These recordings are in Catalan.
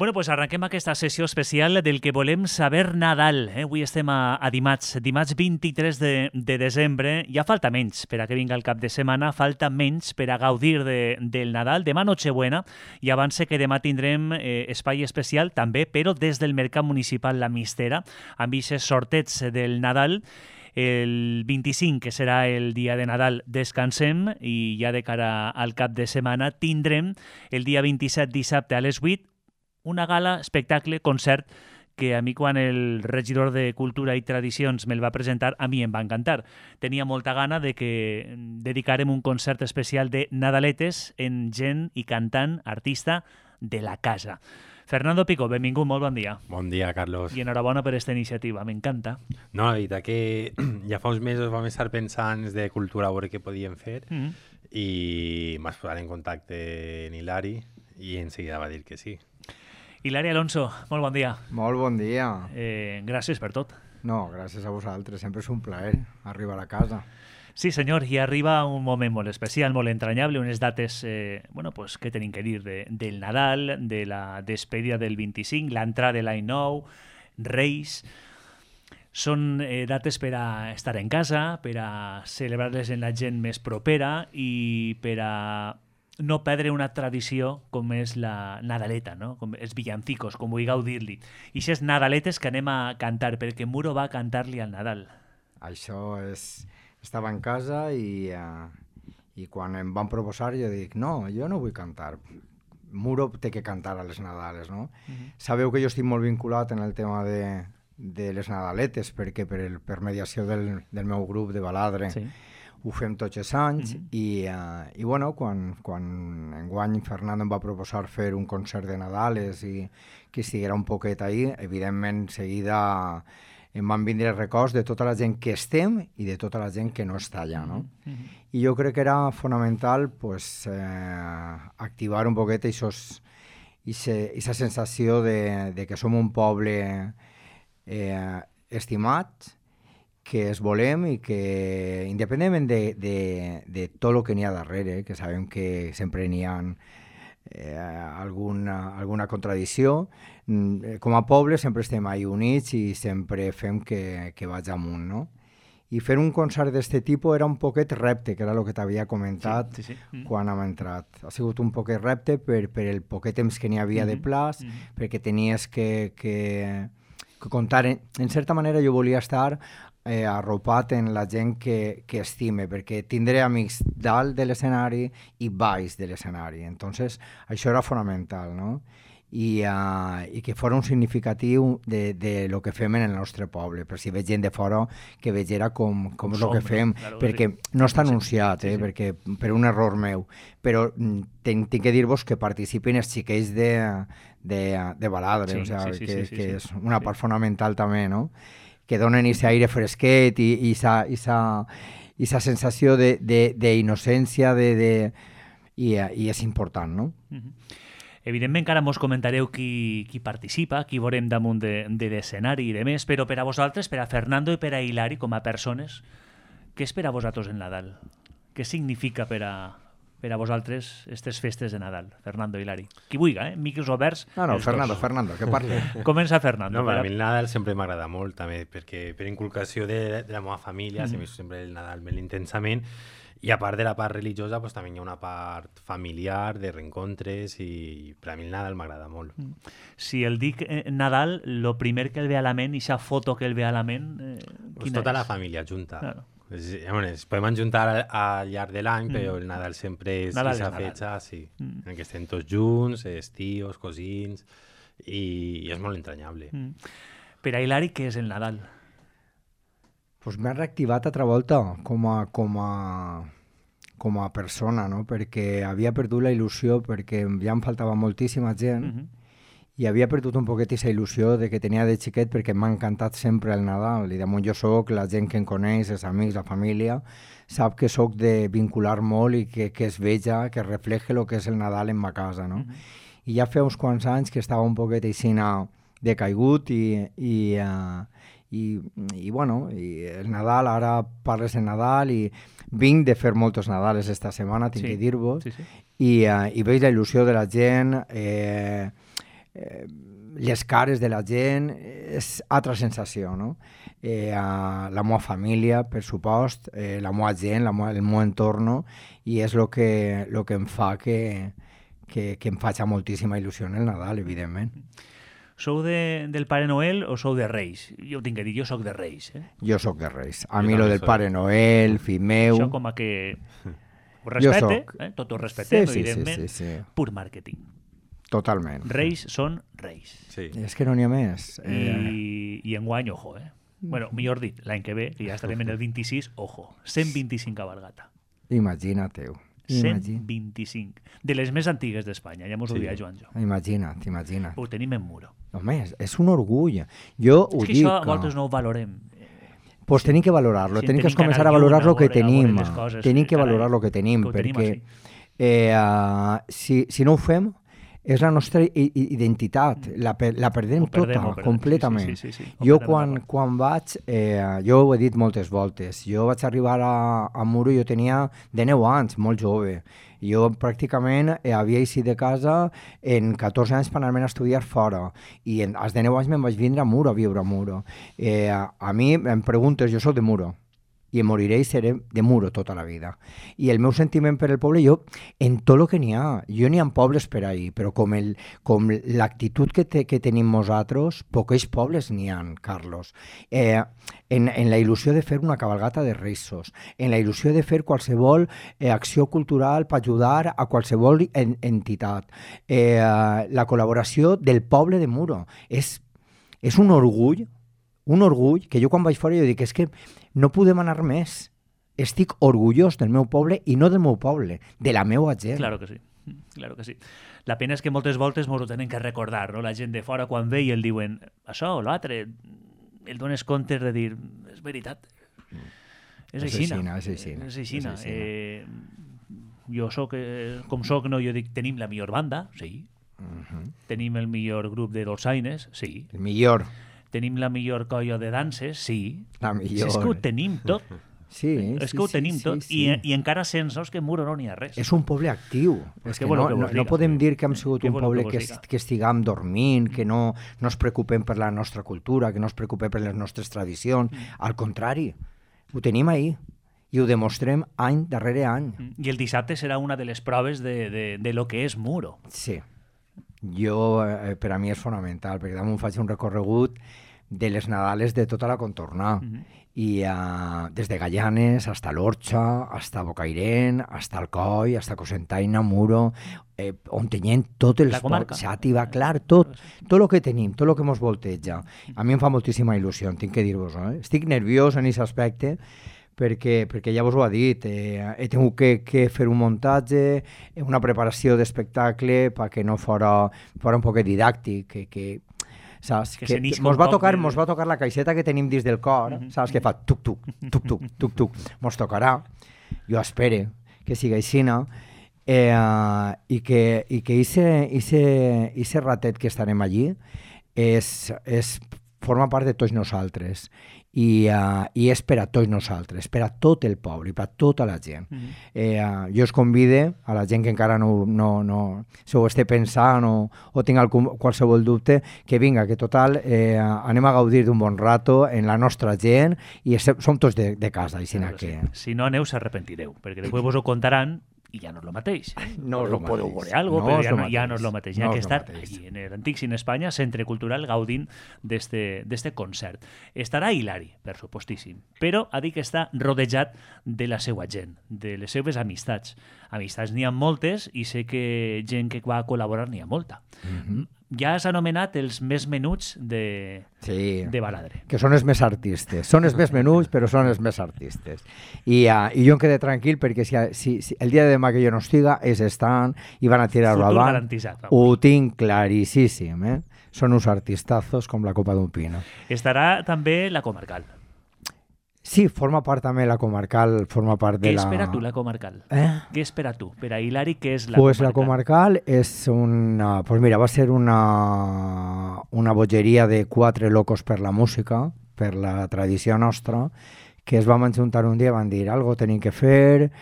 Bueno, pues arrenquem aquesta sessió especial del que volem saber Nadal. Avui estem a dimarts 23 de desembre. Ja falta menys per a que vinga el cap de setmana, falta menys per a gaudir del Nadal. Demà Nochebuena, i abans que demà tindrem espai especial també, però des del Mercat Municipal La Mistera, amb aquests sortets del Nadal. El 25, que serà el dia de Nadal, descansem i ja de cara al cap de setmana tindrem el dia 27, dissabte a les 8, una gala, espectacle, concert, que a mi quan el regidor de Cultura i Tradicions me'l va presentar, a mi em va encantar. Tenia molta gana de que dedicarem un concert especial de Nadaletes en gent i cantant, artista de la casa. Fernando Pico, benvingut, molt bon dia. Bon dia, Carlos. I enhorabona per aquesta iniciativa, m'encanta. No, la veritat que ja fa uns mesos vam estar pensant de cultura a veure què podíem fer i m'has posat en contacte en Hilari i en seguida va dir que sí. Hilari Alonso, molt bon dia. Molt bon dia. Gràcies per tot. No, gràcies a vosaltres. Sempre és un plaer arribar a la casa. Sí, senyor, i arriba un moment molt especial, molt entranyable, unes dates pues, que tenim que dir del Nadal, de la despedida del 25, l'entrada de l'any nou, Reis. Són dates per a estar en casa, per a celebrar-les en la gent més propera i per a no perdre una tradició com és la Nadaleta, no? Com els villancicos, com vulgueu dir-li. I aquestes Nadaletes que anem a cantar, perquè Muro va cantar-li al Nadal. Això és... Estava en casa i quan em van proposar jo dic, no, jo no vull cantar. Muro té que cantar a les Nadales, no? Sabeu que jo estic molt vinculat en el tema de les Nadaletes, perquè per mediació del meu grup de baladre ho fem tots els anys i bueno, quan enguany Fernando em va proposar fer un concert de Nadales i que estiguera un poquet ahí, evidentment seguida em van vindre records de tota la gent que estem i de tota la gent que no està allà, no? I jo crec que era fonamental pues, activar un poquet aquesta sensació de que som un poble estimat, que es volem i que, independentment de tot el que n'hi ha darrere, que sabem que sempre n'hi ha alguna contradicció, com a poble sempre estem ahí units i sempre fem que vaig amunt, no? I fer un concert d'aquest tipus era un poquet repte, que era el que t'havia comentat quan hem entrat. Ha sigut un poquet repte per el poquet temps que n'hi havia de plaç, perquè tenies que comptar. En certa manera jo volia estar arropat en la gent que estime, perquè tindré amics dalt de l'escenari i baix de l'escenari. Entonces, això era fonamental, no? I que fos un significatiu de lo que fem en el nostre poble, per si veig gent de fora que vegera com és el que fem, perquè no està anunciat, perquè per un error meu, però tinc que dir-vos que participin els xiquets de baladre, que és una part fonamental també, no? Que donen aquest aire fresquet i aquesta sensació d'innocència i és important, no? Evidentment que ara mos comentareu qui participa, qui veurem damunt de l'escenari i de més, però per a vosaltres, per a Fernando i per a Hilari, com a persones, què és per a vosaltres el Nadal? Què significa per a vosaltres aquestes festes de Nadal? Fernando, Hilari. Qui vulgui, micros oberts. No, Fernando, que parli. Comença Fernando. No, per a mi el Nadal sempre m'agrada molt, també, perquè per inculcació de la meva família, sempre el Nadal molt intensament, i a part de la part religiosa, pues, també hi ha una part familiar, de reencontres, i per a mi el Nadal m'agrada molt. Si el dic Nadal, el primer que el ve a la ment, i aquesta foto que el ve a la ment, pues tota la família junta. Claro. Es podem ajuntar al llarg de l'any, però el Nadal sempre és aquesta fetge, en què estem tots junts, els tios, cosins, i és molt entranyable. Per a Hilari, què és el Nadal? Pues m'ha reactivat altra volta com a persona, no? Perquè havia perdut la il·lusió, perquè ja em faltava moltíssima gent i havia perdut un poquet aquesta il·lusió de que tenia de xiquet, perquè m'ha encantat sempre el Nadal i damunt jo soc, la gent que em coneix, els amics, la família, sap que soc de vincular molt i que es veja, que refleje el que és el Nadal en ma casa, no? I ja fa uns quants anys que estava un poquet aixina decaigut i bueno, i el Nadal, ara parles de Nadal i vinc de fer molts Nadales esta setmana, tinc que dir-vos, i veig la il·lusió de la gent, les cares de la gent, és altra sensació, no? La meva família, per supost, la meva gent, el meu entorn, i és el que em fa que em faci moltíssima il·lusió el Nadal, evidentment. Sou del Pare Noel o sou de Reis? Jo ho tinc que dir, jo sóc de Reis. Jo sóc de Reis. A mi lo del Pare Noel, fill meu... Això com a que ho respecte, tot ho respectem, evidentment, pur màrqueting. Totalment. Reis són Reis. Sí. És que no n'hi ha més. I enguany, ojo, Bueno, millor dit, l'any que ve, que ja estarem en el 26, ojo, 125 cabalgata. Imagina't-ho. 125. De les més antigues d'Espanya, ja mos ho dia Joan Jo. Imagina't. Ho tenim en Muro. Home, és un orgull. Jo ho dic. És que això a voltes no ho valorem. Pues tenim que valorar-lo, tenim que començar a valorar el que tenim. Tenim que valorar el que tenim, perquè si no ho fem, és la nostra identitat, la perdem tota, completament. Jo quan vaig, jo ho he dit moltes voltes, jo vaig arribar a Muro, jo tenia de 9 anys, molt jove. Jo pràcticament havia eixit de casa en 14 anys per anar-me'n a estudiar fora, i als de 9 anys me'n vaig vindre a Muro, a viure a Muro. A mi em preguntes, jo soc de Muro, i em moriré i seré de Muro tota la vida. I el meu sentiment per el poble, jo, en tot el que n'hi ha, jo n'hi ha pobles per ahir, però com l'actitud que tenim nosaltres, pocs pobles n'hi ha, Carlos. En la il·lusió de fer una cabalgata de Reis, en la il·lusió de fer qualsevol acció cultural per ajudar a qualsevol entitat. La col·laboració del poble de Muro. És un orgull que jo quan vaig fora jo dic, és que no podem anar més. Estic orgullós del meu poble i no del meu poble, de la meva gent. Claro que sí. La pena és que moltes voltes ens ho tenen que recordar, no? La gent de fora quan ve i el diuen això o l'altre, el dones comptes de dir, és veritat. És aixina. Jo soc, com soc, no, jo dic, tenim la millor banda, sí. Tenim el millor grup de dolçaines, sí. El millor. Tenim la millor colla de danses, sí. La millor. És que ho tenim tot. Sí, és que ho tenim tot. I encara sense que Muro no n'hi ha res. És un poble actiu. És que no podem dir que hem sigut un poble que estiguem dormint, que no ens preocupem per la nostra cultura, que no ens preocupem per les nostres tradicions. Al contrari, ho tenim ahí. I ho demostrem any darrere any. I el dissabte serà una de les proves de lo que és Muro. Sí. Jo, per a mi és fonamental, perquè damunt faig un recorregut de les Nadales de tota la contorna. I des de Gallanes, hasta l'Orxa, hasta Bocairent, hasta Alcoi, hasta Cocentaina, Muro, on tenim tot el Xàtiva, clar, tot el que tenim, tot el que ens volteja. A mi em fa moltíssima il·lusió, tinc que dir-vos. Estic nerviós en aquest aspecte, perquè ja vos ho ha dit, he tingut que fer un muntatge, una preparació d'espectacle perquè no fora un poquet didàctic, saps? Que mos va tocar la caixeta que tenim dins del cor, saps? Que fa tuc-tuc, tuc-tuc, tuc-tuc. Mos tocarà, jo espero que sigui aixina, i que ese ratet que estarem allí forma part de tots nosaltres. I és per a tots nosaltres, per a tot el poble, per a tota la gent. Jo us convido a la gent que encara no se ho esté pensant o tinga qualsevol dubte, que vinga, que total anem a gaudir d'un bon rato en la nostra gent i som tots de casa. Si no aneu s'arrepentireu, perquè després vos ho contaran i ja no és el mateix. No podeu veure alguna cosa, però ja no és el mateix. Hi ha que estar allí, en l'Antic Cine Espanya, Centre Cultural, gaudint d'este concert. Estarà hilari, per supostíssim, però ha dit que està rodejat de la seva gent, de les seves amistats. Amistats n'hi ha moltes i sé que gent que va col·laborar n'hi ha molta. Ja has anomenat els més menuts de Baladre. Que són els més artistes. Són els més menuts, però són els més artistes. I jo em quedé tranquil perquè si el dia de demà que jo no estiga, ells estan i van a tirar-ho avant. Ho tinc claríssim. Són uns artistazos com la copa d'un pino. Estarà també la Comarcal. Sí, forma part també la Comarcal, forma part de la... Què espera tu la Comarcal? Què espera tu? Per a Hilari, què és la Comarcal? Pues la Comarcal és una... Pues mira, va ser una bogeria de 4 locos per la música, per la tradició nostra, que es van ajuntar un dia i van dir algo tenim que fer,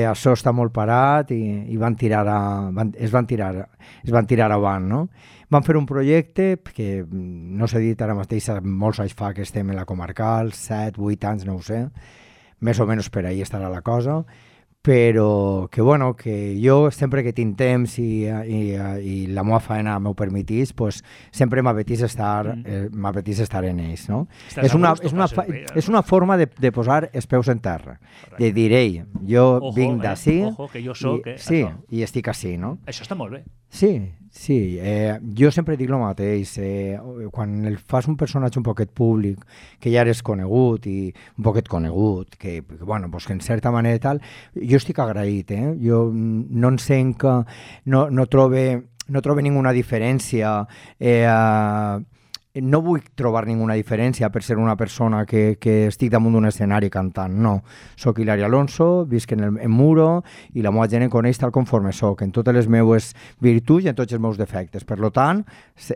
això està molt parat i es van tirar avant, no? Vam fer un projecte que no s'ha dit ara mateix, molts anys fa que estem en la comarcal, 7, 8 anys, no ho sé, més o menys per ahí estarà la cosa, però que, bueno, que jo sempre que tinc temps i la meva feina m'ho permetís, pues, sempre m'apetís estar en ells, no? És una forma de posar els peus en terra, de dir, ei, jo vinc d'ací i estic ací, no? Això està molt bé. Sí, jo sempre dic el mateix, quan fas un personatge un poquet públic, que ja eres conegut i un poquet conegut, que bueno, pues que en certa manera tal, jo estic agraït, jo no entenc que no trobe ninguna diferència, no vull trobar ninguna diferència per ser una persona que estic damunt d'un escenari cantant, no. Soc Hilari Alonso, visc en Muro i la meva gent em coneix tal conforme soc, en totes les meves virtuts i en tots els meus defectes. Per tant,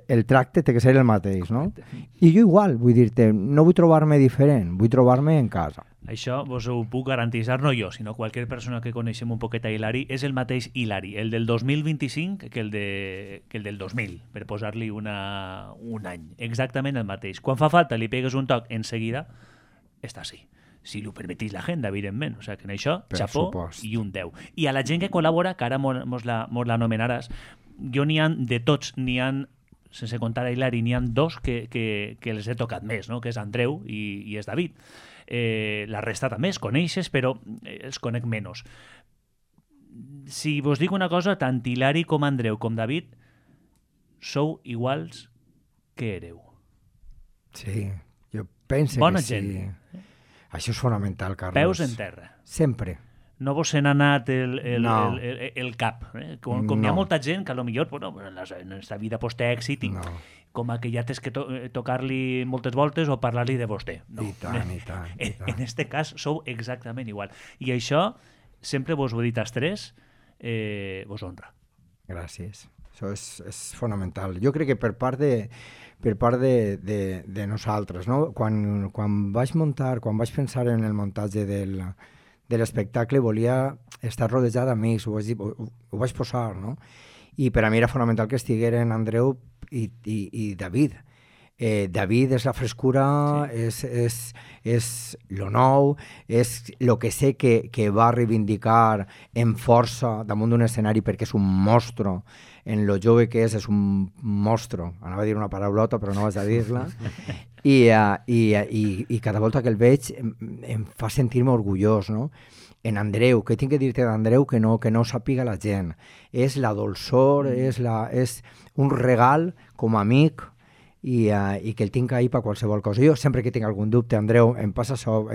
el tracte té que ser el mateix, no? I jo igual, vull dir-te, no vull trobar-me diferent, vull trobar-me en casa. Això vos ho puc garantitzar, no jo, sinó qualsevol persona que coneixem un poquet a Hilari, és el mateix Hilari, el del 2025 que el del 2000, per posar-li un any. Exactament el mateix. Quan fa falta li pegues un toc en seguida, està així. Si li ho permetís la gent, evidentment. O sigui que en això, xapó i un 10. I a la gent que col·labora, que ara mos l'anomenaràs, jo n'hi ha de tots, n'hi ha, sense comptar a Hilari, n'hi ha dos que els he tocat més, no? Que és Andreu i és David. La resta també es coneixes, però els conec menys. Si vos dic una cosa, tant Hilari com Andreu com David sou iguals que éreu. Sí, jo penso bona que gent. Sí. Això és fonamental, Carlos. Peus en terra. Sempre. No vos se n'ha anat el cap. Com hi ha molta gent que potser bueno, en aquesta vida té èxit i com que ja tens que tocar-li moltes voltes o parlar-li de vostè. No. I tant. En este cas sou exactament igual. I això, sempre vos ho he dit als tres, vos honra. Gràcies. Això és fonamental. Jo crec que per part de nosaltres, no? Quan vaig pensar en el muntatge de l'espectacle, volia estar rodejat d'amics, ho vaig posar, no? I per a mi era fonamental que estigueren Andreu i David. David és la frescura, sí. és lo nou, és el que sé que va reivindicar en força damunt d'un escenari perquè és un monstre. En lo jove que és un monstre. Anava a dir una paraulota, però no vaig a dir-la. I cada volta que el veig em fa sentir-me orgullós, no? En Andreu, què tinc que dir-te d'Andreu que no sàpiga la gent? És la dolçor, és un regal com a amic i que el tinc ahí per qualsevol cosa. Jo sempre que tinc algun dubte, Andreu, em passa això,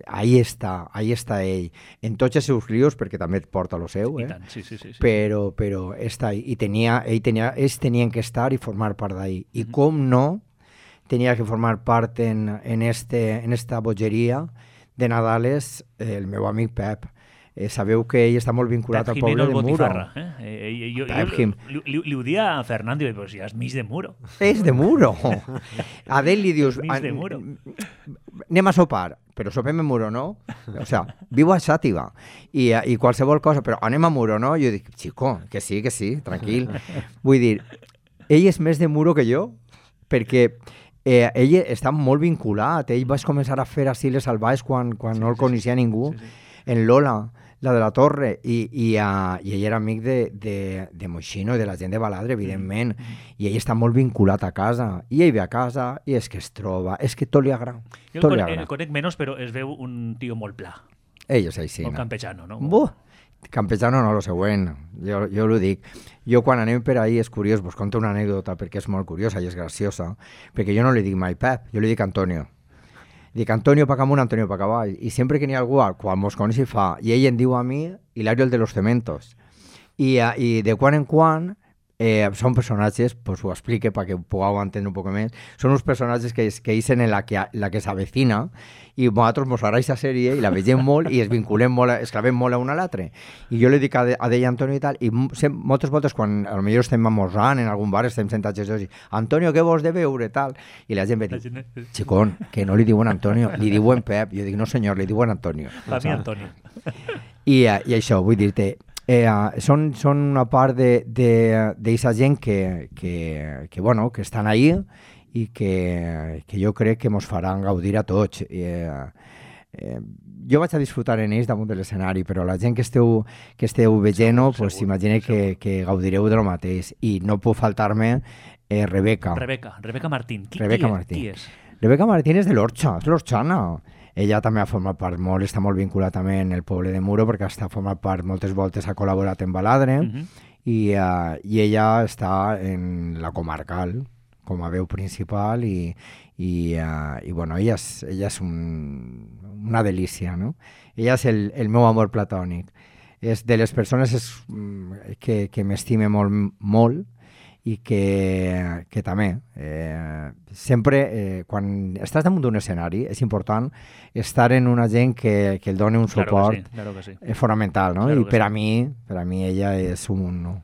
ahí està ell. En tots els seus rios, perquè també et porta lo seu, I tant, sí. Però està ahí. I ells tenien que estar i formar part d'ahí. I com no, tenia que formar part en esta bogeria de Nadales el meu amic Pep. Sabeu que ell està molt vinculat al poble de Muro. Li ho dia a Fernando, però si és mig de Muro. És de Muro. A ell li dius, anem a sopar, però sopem a Muro, no? O sigui, viu a Xàtiva i qualsevol cosa, però anem a Muro, no? Jo dic, xico, que sí, tranquil. Vull dir, ell és més de Muro que jo, perquè ell està molt vinculat. Ell va començar a fer així les salvajes quan no el coneixia ningú. En Lola, la de la Torre, i ell era amic de Moixino i de la gent de Baladre, evidentment, i ell està molt vinculat a casa, i ell ve a casa i és que es troba, és que tot li agrada. Jo el conec menys, però es veu un tio molt pla. Ell és així. Molt campechano, no? Campechano no, lo següent, jo ho dic. Jo quan anem per ahí és curiós, vos conto una anècdota perquè és molt curiosa i és graciosa, perquè jo no li dic mai Pep, jo li dic Antonio. Dic Antonio pa amunt, Antonio pa avall, i sempre que n'hi ha algú quan mos coneix i fa, i ell em diu a mi Hilario el de los cementos. I de quan en quan són personatges, pues ho explique perquè ho pugueu entendre un poc més, són uns personatges que isen en la que s'avecina i nosaltres mos agrada aquesta sèrie i la vegem molt i es vinculem molt, es clavem molt a un a l'altre. I jo li dic a d'ell Antonio i tal, i moltes voltes quan potser estem amorzant en algun bar, estem sentats i dic, Antonio, què vols de veure, tal? I la gent ve dir, xicón, que no li diuen Antonio, li diuen Pep. Jo dic, no senyor, li diuen Antonio. Per mi Antonio. I això, vull dir-te, Són una part d'aquesta gent que estan ahí i que jo crec que ens faran gaudir a tots. Jo vaig a disfrutar en ells damunt de l'escenari, però la gent que esteu veient-ho, pues, imagine que gaudireu de lo mateix. I no puc faltar-me Rebeca Martín. Qui és? Rebeca Martín és de l'Orxa, és l'orxana. Ella també ha format part està molt vinculada també en el poble de Muro, perquè ha format part moltes voltes, ha col·laborat en Baladre, i ella està en la comarcal com a veu principal i bueno, ella és una delícia, no? Ella és el meu amor platònic. És de les persones que m'estime molt, molt, i que també sempre quan estàs damunt d'un escenari és important estar en una gent que el doni un suport fonamental, no? I per a mi ella és un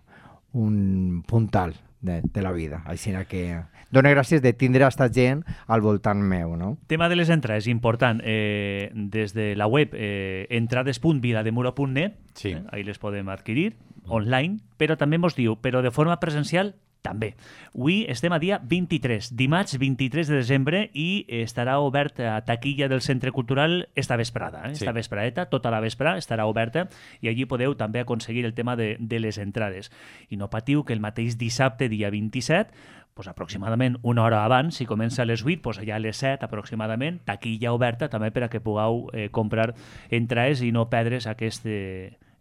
puntal de la vida, així que dono gràcies de tindre aquesta gent al voltant meu, no? Tema de les entrades, important. Des de la web entrades.vilademuro.net, ahí les podem adquirir online, però també mos diu, però de forma presencial també. Avui estem a dia 23, dimarts 23 de desembre, i estarà obert a taquilla del Centre Cultural esta vesprada. Esta vespradeta, tota la vesprada estarà oberta, i allí podeu també aconseguir el tema de les entrades. I no patiu que el mateix dissabte, dia 27, pues aproximadament una hora abans, si comença a les 8, pues allà a les 7 aproximadament, taquilla oberta també per a que pugueu comprar entrades i no perdre's aquest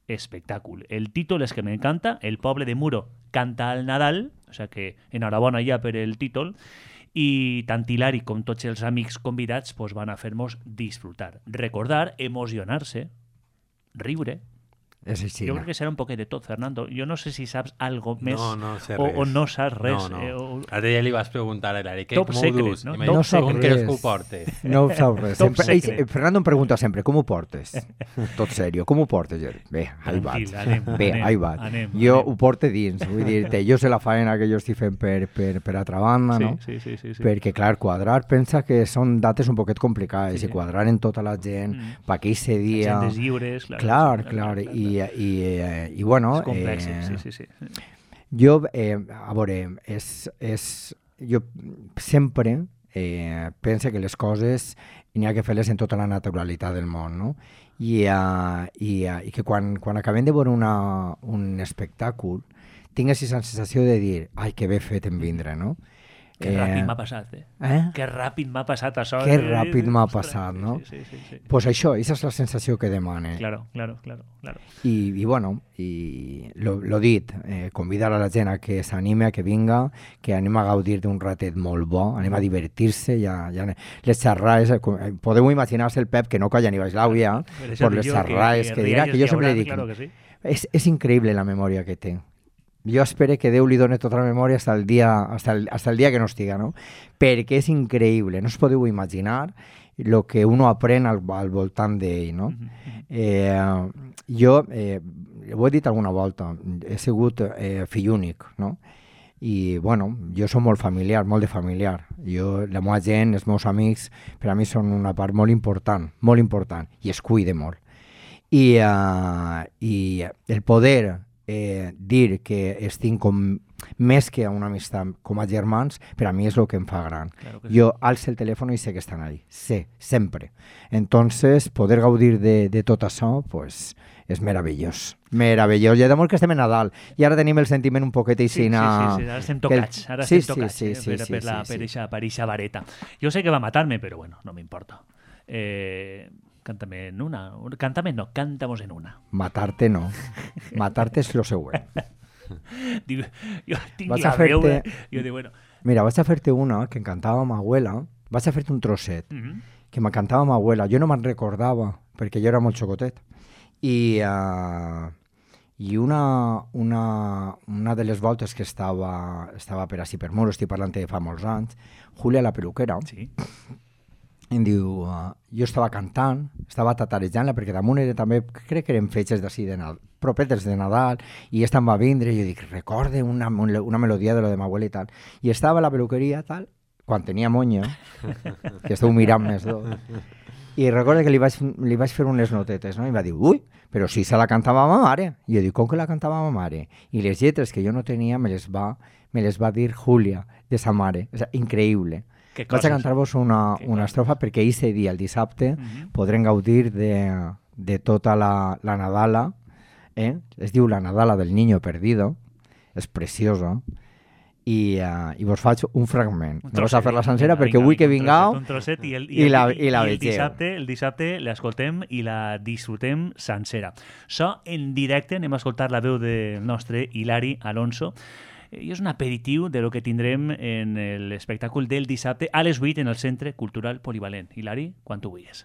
espectáculo. El títol és que m'encanta, el poble de Muro canta al Nadal, o sea que enhorabona ja per el títol, i tant Hilari com tots els amics convidats pues, van a fer-nos disfrutar, recordar, emocionar-se, riure. Jo crec que serà un poquet de tot, Fernando. Jo no sé si saps algo més no sé o no saps res. A ja li vas preguntar a l'Ari, com ho dus? No sap res. Com ho portes? No ho sap res. Fernando em pregunta sempre, com ho portes? Tot seriós, com ho portes? Bé, ahí vaig. Ahí vaig. Jo ho porto dins, vull dir-te, jo sé la faena que jo estic fent per altra banda, no? Sí. Perquè, clar, quadrar, pensa que són dates un poquet complicades, i quadrar en tota la gent, per aquell dia... Agendes lliures, clar, i bueno... És complex, sí. Jo, a veure, jo sempre penso que les coses n'hi ha que fer-les en tota la naturalitat del món, no? I que quan acabem de veure un espectacle tingues aquesta sensació de dir, ai, que bé fet en vindre, no? Que ràpid m'ha passat, Que ràpid m'ha passat això. Que ràpid m'ha passat, no? Sí. Pues això, aquesta és la sensació que demane. Claro. I bueno, lo dit, convidar a la gent a que s'anime, a que vinga, que anem a gaudir d'un ratet molt bo, anem a divertir-se, ja les xerrades, podeu imaginar-se el Pep que no calla ni baix l'àuia, per les xerrades que dirà, que jo sempre dic, és increïble la memòria que té. Jo espero que Déu li doni tota la memòria hasta el dia que no estiga, no? Perquè és increïble, no us podeu imaginar el que uno aprèn al voltant d'ell, no? Jo, ho he dit alguna volta, he sigut fill únic, no? I, bueno, jo soc molt familiar, molt de familiar. La meva gent, els meus amics, per a mi són una part molt important, i es cuide molt. I el poder dir que estic com més que una amistat, com a germans, per a mi és el que em fa gran. Claro que sí. Jo alço el telèfon i sé que estan ahí, sé, sempre. Entonces, poder gaudir de tot això, pues, és meravellós. Meravellós. I de molt que estem a Nadal. I ara tenim el sentiment un poquet així... Sí, ara estem tocats. Per eixa vareta. Jo sé que va matar-me, però bueno, no m'importa. Cántame en una. Cántame no, cántamos en una. Matarte no. Matarte és lo següent. Digo, jo tinc la veu. Jo dic, bueno... Mira, vaig a fer-te una que encantava ma abuela. Vaig a fer-te un trosset que m'encantava ma abuela. Jo no me'n recordava, perquè jo era molt xocotet. I una de les voltes que estava per així per Muro, estic parlant de fa molts anys, Julia la peluquera, sí. Em diu, jo estava cantant, estava tatarejant-la, perquè damunt era també, crec que eren fetges d'ací de Nadal, propetes de Nadal, i esta em va vindre, i jo dic, recorde una melodia de lo de ma abuela i tal. I estava a la peluqueria, tal, quan tenia monya, que esteu mirant més dos, I recordo que li vaig fer unes notetes, no? I va dir, ui, però si se la cantava ma mare. I jo dic, com que la cantava ma mare? I les lletres que jo no tenia me les va dir Júlia, de sa mare. O sigui, increïble. Vaig a cantar-vos una estrofa perquè aquest dia, el dissabte, podrem gaudir de tota la Nadala. Es diu La Nadala del Niño Perdido. És preciosa. I vos faig un fragment. No vas a fer la sencera perquè vull que vingueu i la vegeu. El dissabte l'escoltem i la disfrutem sencera. So, en directe anem a escoltar la veu del nostre Hilari Alonso i és un aperitiu de lo que tindrem en l'espectacle del dissabte a les 8 en el Centre Cultural Polivalent. Hilari, quan tu vulguis.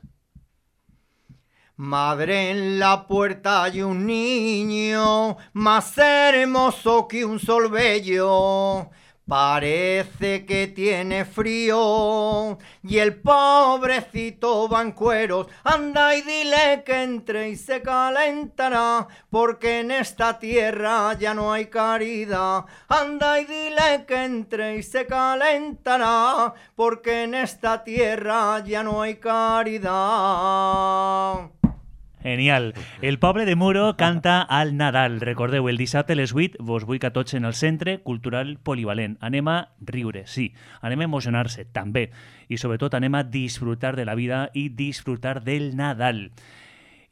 Madre, en la puerta hay un niño más hermoso que un sol bello. Parece que tiene frío y el pobrecito va en cueros. Anda y dile que entre y se calentará, porque en esta tierra ya no hay caridad. Anda y dile que entre y se calentará, porque en esta tierra ya no hay caridad. Genial. El poble de Muro canta al Nadal. Recordeu, el dissabte a les 8 vos vull que tots en el Centre Cultural Polivalent. Anem a riure, sí. Anem a emocionar-se, també. I sobretot anem a disfrutar de la vida i disfrutar del Nadal.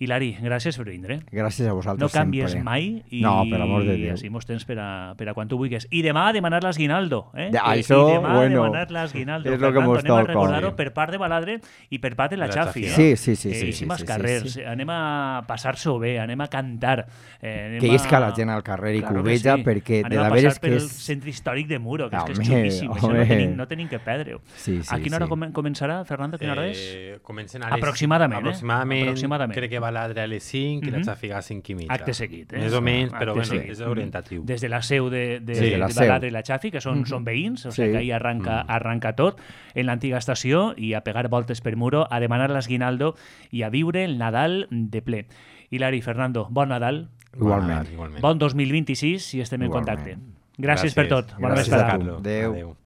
Hilari, gràcies per vindre. Gràcies a vosaltres sempre. No canvies sempre. mai i, no, per amor de Déu. I així mos tens per a quan tu vulguis. I demà a demanar l'esguinaldo. Això, I demà bueno, a demanar l'esguinaldo. és el que mos toca. Anem a recordar-ho per part de Baladre i per part de la Xafi. Sí. Eixims carrers. Anem a passar-s'ho bé, anem a cantar. Que isca la gent al carrer i cubeja, perquè de la veres que és... Anem a passar pel centre històric de Muro, que és xulíssim. Això no tenim que perdre-ho. A quina hora començarà, Fernando? Quina hora és? Comencen a les... Aproximadament. Crec que Baladre a les 5 i la Xàfiga a 5 i mitja. Acte seguit. Més o menys, però bueno, és orientatiu. Des de la seu de Baladre i la Xàfi, que són veïns, o sigui que ahí arranca tot, en l'antiga estació, i a pegar voltes per Muro, a demanar l'esguinaldo i a viure el Nadal de ple. Hilari, Fernando, bon Nadal. Igualment. Bon 2026 i estem en contacte. Gràcies per tot. Bona vesprada. Adéu.